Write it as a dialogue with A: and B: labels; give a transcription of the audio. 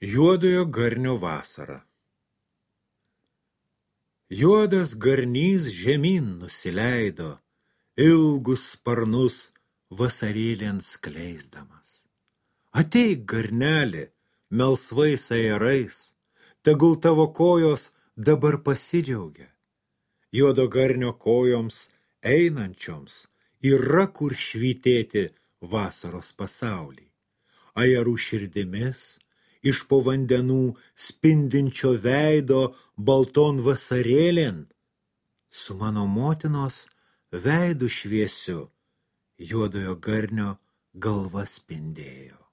A: Juodojo garnio vasara. Juodas garnys žemyn nusileido, ilgus sparnus vasarėlėn skleisdamas. Ateik, garneli, melsvais ajerais, tegul tavo kojos dabar pasidžiaugia. Juodo garnio kojoms einančioms yra kur švytėti vasaros pasaulį. Ajerų širdimis, iš po vandenų spindinčio veido balton vasarėlėn, su mano motinos veidu šviesiu juodojo garnio galva spindėjo.